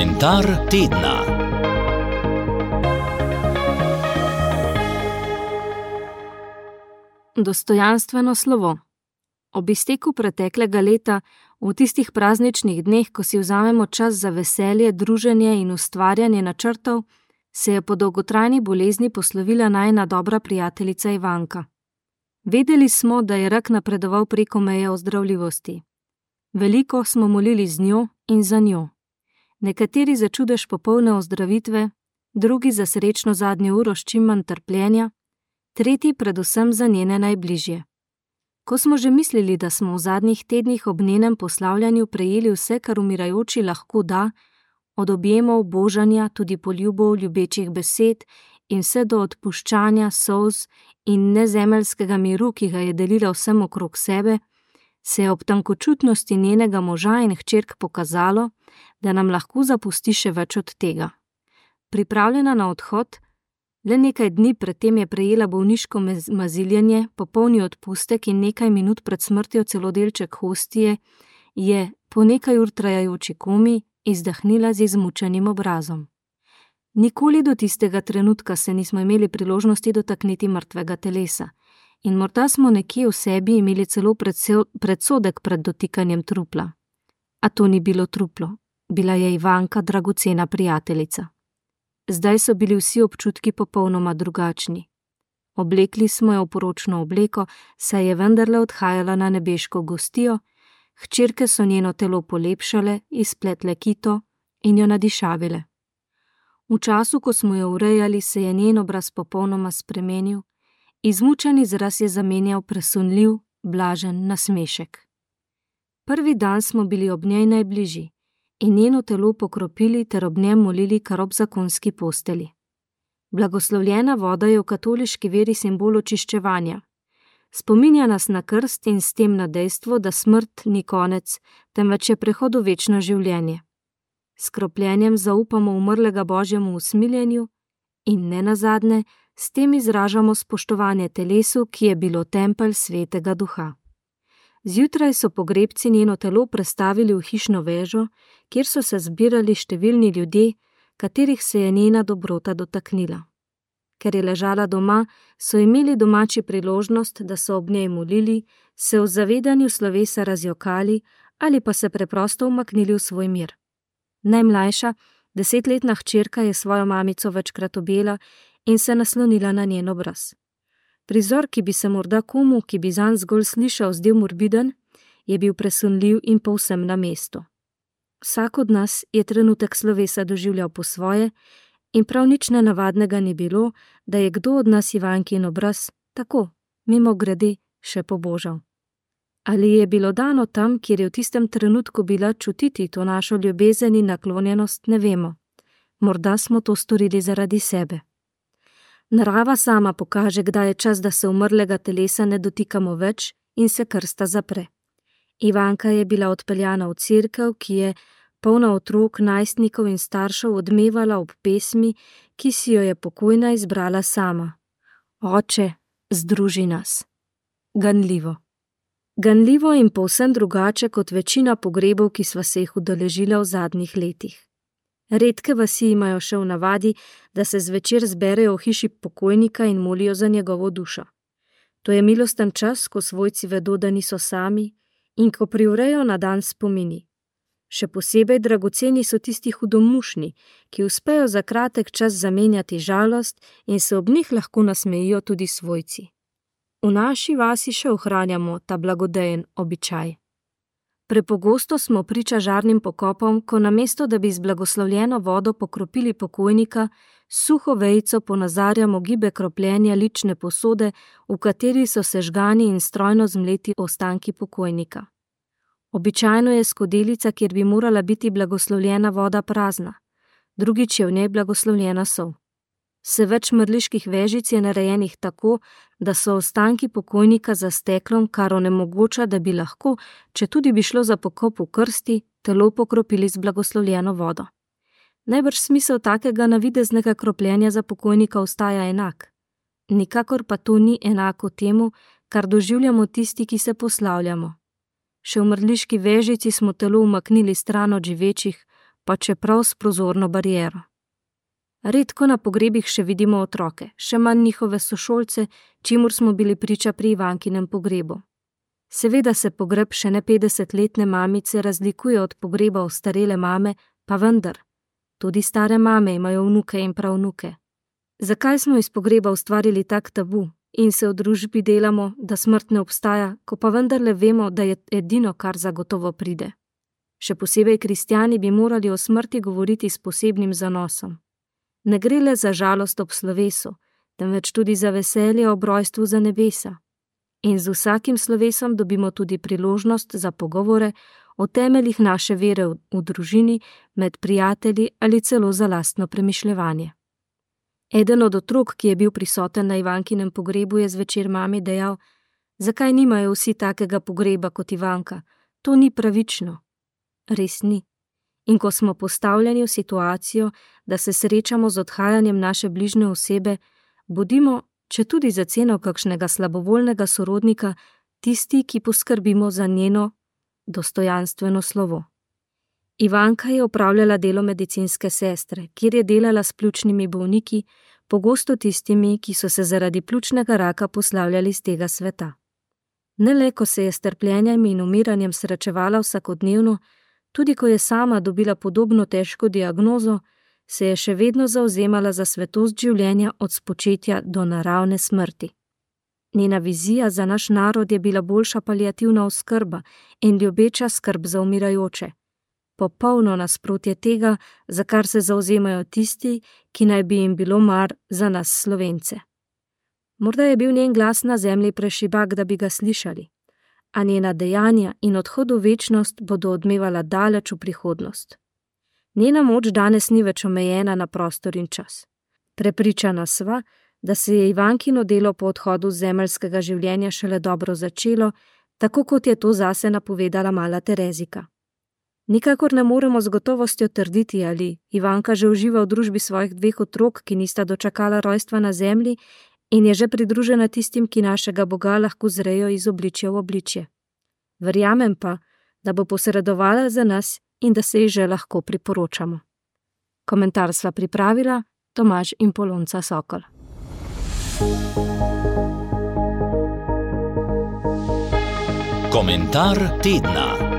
Komentar tedna. Dostojanstveno slovo. Ob izteku preteklega leta, v tistih prazničnih dneh, ko si vzamemo čas za veselje, druženje in ustvarjanje načrtov, se je po dolgotrajni bolezni poslovila najina dobra prijateljica Ivanka. Vedeli smo, da je rak napredoval preko meje ozdravljivosti. Veliko smo molili z njo in za njo. Nekateri za čudež popolne ozdravitve, drugi za srečno zadnjo uro s čim manj trpljenja, tretji predvsem za njene najbližje. Ko smo že mislili, da smo v zadnjih tednih ob njenem poslavljanju prejeli vse, kar umirajoči lahko da, od objemov, božanja, tudi poljubov, ljubečih besed in vse do odpuščanja, solz in nezemeljskega miru, ki ga je delila vsem okrog sebe, se je ob tankočutnosti njenega moža in hčerk pokazalo, da nam lahko zapusti še več od tega. Pripravljena na odhod, le nekaj dni predtem je prejela bolniško maziljenje, popolni odpustek in nekaj minut pred smrtjo celo delček hostije, je po nekaj ur trajajoči komi izdahnila z izmučenim obrazom. Nikoli do tistega trenutka se nismo imeli priložnosti dotakniti mrtvega telesa in morda smo nekje v sebi imeli celo predsodek pred dotikanjem trupla. A to ni bilo truplo, bila je Ivanka dragocena prijateljica. Zdaj so bili vsi občutki popolnoma drugačni. Oblekli smo jo v poročno obleko, saj je vendarle odhajala na nebeško gostijo, hčerke so njeno telo polepšale, izpletle kito in jo nadišavile. V času, ko smo jo urejali, se je njen obraz popolnoma spremenil, izmučen izraz je zamenjal presunljiv, blažen nasmešek. Prvi dan smo bili ob njej najbližji in njeno telo pokropili ter ob njem molili kar ob zakonski posteli. Blagoslovljena voda je v katoliški veri simbol očiščevanja. Spominja nas na krst in s tem na dejstvo, da smrt ni konec, temveč je prehod v večno življenje. S kropljenjem zaupamo umrlega Božjemu usmiljenju in nenazadnje s tem izražamo spoštovanje telesu, ki je bilo tempelj Svetega Duha. Zjutraj so pogrebci njeno telo prestavili v hišno vežo, kjer so se zbirali številni ljudje, katerih se je njena dobrota dotaknila. Ker je ležala doma, so imeli domači priložnost, da so ob njej molili, se v zavedanju slovesa razjokali ali pa se preprosto umaknili v svoj mir. Najmlajša, 10-letna hčerka je svojo mamico večkrat objela in se naslonila na njen obraz. Prizor, ki bi se morda komu, ki bi zanj zgolj slišal, zdel morbiden, je bil presunljiv in povsem na mestu. Vsak od nas je trenutek slovesa doživljal po svoje in prav nič nenavadnega ni bilo, da je kdo od nas Ivankin obraz tako, mimogrede, še pobožal. Ali je bilo dano tam, kjer je v tistem trenutku bila čutiti to našo ljubezen in naklonjenost, ne vemo. Morda smo to storili zaradi sebe. Narava sama pokaže, kdaj je čas, da se umrlega telesa ne dotikamo več in se krsta zapre. Ivanka je bila odpeljana v cerkev, ki je polna otrok, najstnikov in staršev odmevala ob pesmi, ki si jo je pokojna izbrala sama. Oče, združi nas. Ganljivo. Ganljivo in povsem drugače kot večina pogrebov, ki sva se jih udeležila v zadnjih letih. Redke vasi imajo še v navadi, da se zvečer zberejo v hiši pokojnika in molijo za njegovo dušo. To je milosten čas, ko svojci vedo, da niso sami in ko privrejo na dan spomini. Še posebej dragoceni so tisti hudomušni, ki uspejo za kratek čas zamenjati žalost in se ob njih lahko nasmejijo tudi svojci. V naši vasi še ohranjamo ta blagodejen običaj. Prepogosto smo priča žarnim pokopom, ko namesto, da bi z blagoslovljeno vodo pokropili pokojnika, suho vejico ponazarjamo gibe kropljenja lične posode, v kateri so sežgani in strojno zmleti ostanki pokojnika. Običajno je skodelica, kjer bi morala biti blagoslovljena voda, prazna, drugič je v njej blagoslovljena sol. Se več mrliških vežic je narejenih tako, da so ostanki pokojnika za steklom, kar onemogoča, da bi lahko, če tudi bi šlo za pokop v krsti, telo pokropili z blagoslovljeno vodo. Najbrž smisel takega navideznega kropljenja za pokojnika ostaja enak. Nikakor pa to ni enako temu, kar doživljamo tisti, ki se poslavljamo. Še v mrliški vežici smo telo umaknili stran od živečih, pa čeprav s prozorno bariero. Redko na pogrebih še vidimo otroke, še manj njihove sošolce, čimur smo bili priča pri Ivankinem pogrebu. Seveda se pogreb še ne 50-letne mamice razlikuje od pogreba ostarele mame, pa vendar, tudi stare mame imajo vnuke in pravnuke. Zakaj smo iz pogreba ustvarili tak tabu in se v družbi delamo, da smrt ne obstaja, ko pa vendarle vemo, da je edino, kar zagotovo pride? Še posebej kristjani bi morali o smrti govoriti s posebnim zanosom. Ne gre le za žalost ob slovesu, temveč tudi za veselje ob rojstvu za nebesa. In z vsakim slovesom dobimo tudi priložnost za pogovore o temeljih naše vere v družini, med prijatelji ali celo za lastno premišljevanje. Eden od otrok, ki je bil prisoten na Ivankinem pogrebu, je zvečer mami dejal: "Zakaj nimajo vsi takega pogreba kot Ivanka? To ni pravično." Res ni. In ko smo postavljeni v situacijo, da se srečamo z odhajanjem naše bližnje osebe, bodimo, če tudi za ceno kakšnega slabovoljnega sorodnika, tisti, ki poskrbimo za njeno dostojanstveno slovo. Ivanka je opravljala delo medicinske sestre, kjer je delala s pljučnimi bolniki, pogosto tistimi, ki so se zaradi pljučnega raka poslavljali z tega sveta. Ne le, ko se je s trpljenjem in umiranjem srečevala vsakodnevno, tudi ko je sama dobila podobno težko diagnozo, se je še vedno zavzemala za svetost življenja od spočetja do naravne smrti. Njena vizija za naš narod je bila boljša paliativna oskrba in ljubeča skrb za umirajoče. Popolno nasprotje tega, za kar se zavzemajo tisti, ki naj bi jim bilo mar za nas Slovence. Morda je bil njen glas na zemlji prešibak, da bi ga slišali, a njena dejanja in odhod v večnost bodo odmevala daleč v prihodnost. Njena moč danes ni več omejena na prostor in čas. Prepričana sva, da se je Ivankino delo po odhodu z zemeljskega življenja šele dobro začelo, tako kot je to zase napovedala mala Terezika. Nikakor ne moremo z gotovostjo trditi, ali Ivanka že uživa v družbi svojih 2 otrok, ki nista dočakala rojstva na zemlji, in je že pridružena tistim, ki našega Boga lahko zrejo iz obličja v obličje. Verjamem pa, da bo posredovala za nas in da se ji že lahko priporočamo. Komentar sva pripravila Tomaž in Polonca Sokol. Komentar tedna.